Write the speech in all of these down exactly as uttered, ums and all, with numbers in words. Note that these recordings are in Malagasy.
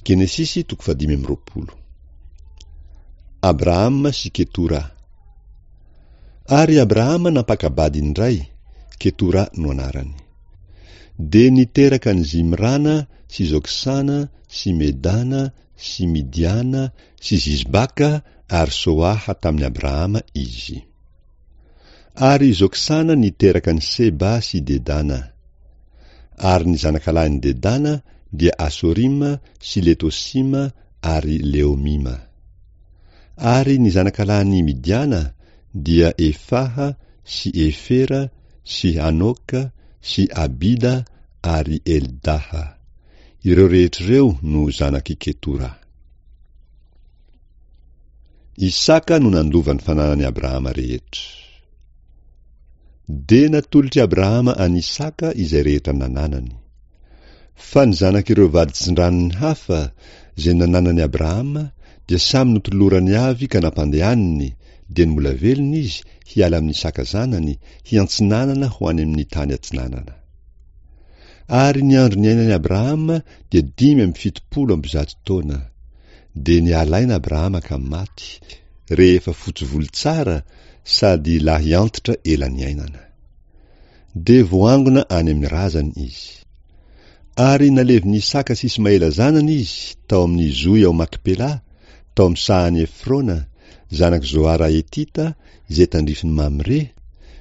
Genesisy toko fahadimy amby roapolo. Abrahama sy Ketora. Ary Abrahama nampaka-bady indray, Ketora no anarany. Dia niteraka an'i Zimrana sy Joksana sy Medana sy Midiana sy Zisbaka ary Soaha tamin'i Abrahama izy. Ary Joksana niteraka an'i Seba sy Dedana. Ary ny zanakalahin'i Dedana dia Asorima sy Letosima ary Leomima. Ary ny zanakalahin'i Midiana dia Efaha sy Efera sy Hanoka sy Abida ary Eldaha. Ireo rehetra ireo no zanak'i Ketora. Isaka no nandova ny fananan'i Abrahama rehetra. Dia natolotr'i Abrahama an'i Isaka izay rehetra nananany. Fa ny zanak'ireo vady tsindranony hafa izay nananan'i Abrahama dia samy notolorany avy ka nampandehaniny, dia ny mbola velona izy hiala amin'Isaka zanany hiantsinanana ho any amin'ny tany atsinanana. Ary ny andro niainan'i Abrahama dia dimy amby fitopolo amby zato taona. Dia niala aina Abrahama ka maty, rehefa fotsy volo tsara sady lahy antitra ela niainana. Dia voangona any amin'ny razany izy. Ary nalevin'Isaka sy Ismaela zanany izy tao amin'ny zohy ao Makpela, tao amin'ny sahan'i Efrona, zanak'i Zoara Hetita, izay tandrifin'i Mamre,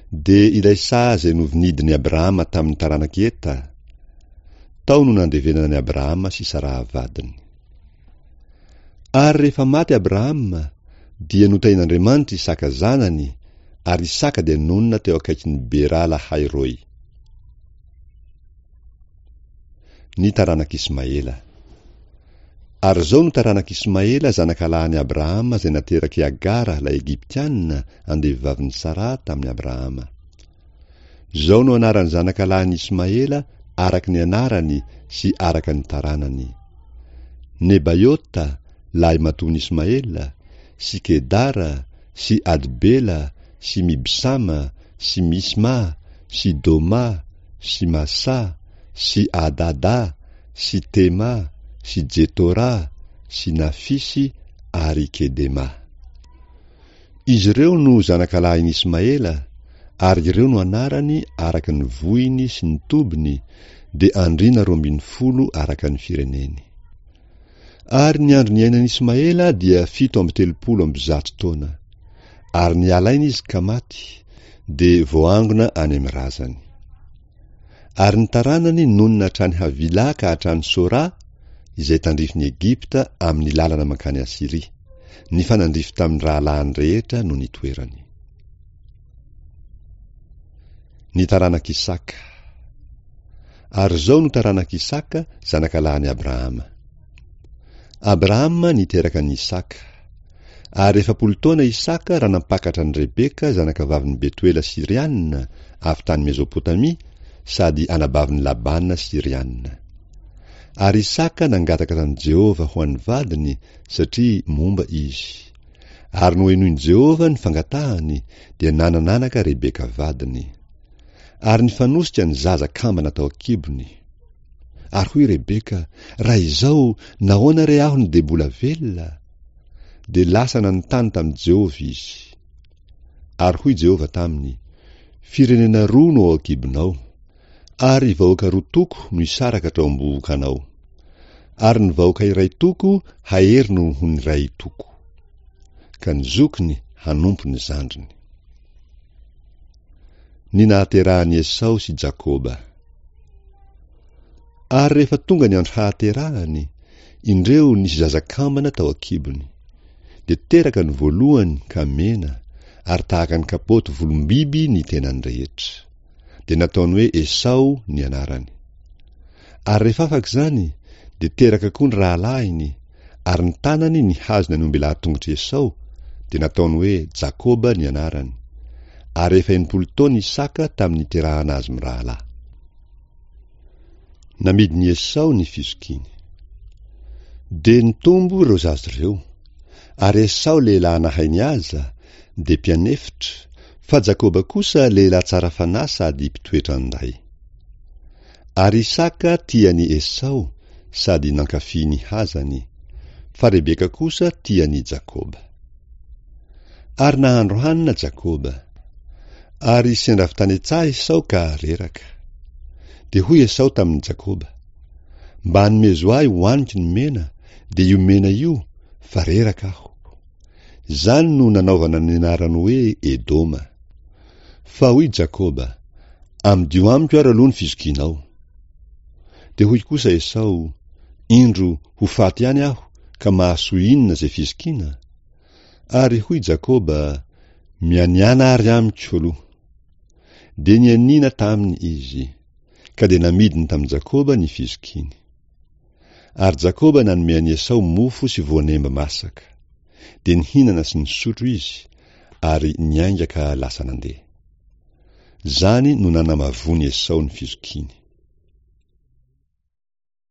dia ilay saha izay novinidin'i Abrahama tamin'ny taranak'i Heta. Tao no nandevenana an'i Abrahama sy Saraha vadiny. Ary rehefa maty Abrahama, dia notahin'Andriamanitra Isaka zanany, ary Isaka dia nonina teo akaikin'i Bera Lahairoi. Ny taranak'Ismaela. Ary izao no taranak'Ismaela zanakalahin'i Abrahama izay naterak'i Agara ilay Egyptiana andevovavin'i Saraha tamin'i Abrahama. Izao no anaran'ny zanakalahin'Ismaela araka ny anarany sy araka ny taranany. Nebaiota, lahimatoan'Ismaela, sy Kedara, sy Adbela, sy Mibsama, sy Misma, sy Doma, sy Masa, sy Adada, sy Tema, sy Jetora, sy Nafisy ary Kedema. Izy ireo no zanakalahin'Ismaela, ary ireo no anarany araka ny vohiny sy ny tobiny, dia andriana roa ambin'ny folo araka ny fireneny. Ary ny andro niainan'Ismaela dia fito amby telopolo amby zato taona. Ary niala aina izy ka maty, dia voangona any amin'ny razany. Ary ny taranany nonina hatrany Havila ka hatrany Sora, izay tandrifin'i Egypta amin'ny lalana mankany Asyria. Nifanandrify tamin'ny rahalahiny rehetra no nitoerany. Ny taranak'Isaka. Ary izao no taranak'Isaka, zanakalahin'i Abrahama. Abrahama niteraka an'i Isaka. Ary efapolo taona Isaka raha nampakatra an'i Rebeka zanakavavin'i Betoela Syriana avy tany Mesopotamia sady anabavin'i Labana Syriana. Ary Isaka nangataka tamin'i Jehovah ho an'ny vadiny satria momba izy. Ary nohenoin'i Jehovah ny fangatahany, dia nanananaka Rebeka vadiny. Ary nifanosika ny zaza kambana tao an-kibony. Ary hoy Rebeka, raha izao, nahoana re aho no dia mbola velona? Dia lasa nanontany tamin'i Jehovah izy. Ary hoy Jehovah taminy, firenena roa no ao an-kibonao, ary vahoaka roa toko no hisaraka hatrao am-bohokanao. Ary ny vahoaka iray toko hahery noho ny iray toko. Ka ny zokiny hanompo ny zandriny. Ny nahaterahan'i Esao sy Jakoba. Ary rehefa tonga ny andro hahaterahany, indreo nisy zaza kambana tao an-kibony. Dia teraka ny voalohany ka mena, ary tahaka ny kapoty volom-biby ny tenany rehetra. Dia nataony hoe Esao ny anarany. Ary rehefa afaka izany, dia teraka koa ny rahalahiny, ary ny tanany nihazona ny ombelahy-tongotr'i Esao, dia nataony hoe Jakoba ny anarany. Ary efa enimpolo taona Isaka tamin'ny niterahana azy mirahalahy. Namidin'i Esao ny fizokiany. Dia nitombo ireo zaza ireo. Ary Esao lehilahy nahay nihaza, dia mpianefitra, fa Jakoba kosa lehilahy tsara fanahy sady mpitoetra an-day. Ary Isaka tia an'i Esao, sady nankafy ny hazany, fa Rebeka kosa tia an'i Jakoba. Ary nahandro hanina Jakoba. Ary sendra avy tany an-tsaha Esao ka reraka. Dia hoy Esao tamin'i Jakoba, Mba anomezo ahy hohaniko ny mena, dia io mena io, fa reraka aho. Izany no nanaovana ny anarany hoe Edoma. Fa hoy Jakoba, Amidio amiko ary aloha ny fizokianao. Dia hoy kosa Esao, Indro, ho faty ihany aho, ka mahasoa inona izay fizokiana? Ary hoy Jakoba, Mianiàna ary amiko aloha. Dia nianiana taminy izy. Ka dia namidiny tamin'i Jakoba ny fizokiany. Ary Jakoba nanome an'i Esao mofo sy voanemba masaka. Dia nihinana sy nisotro izy, ary niainga ka lasa nandeha. Izany no nanamavoan'i Esao ny fizokiany.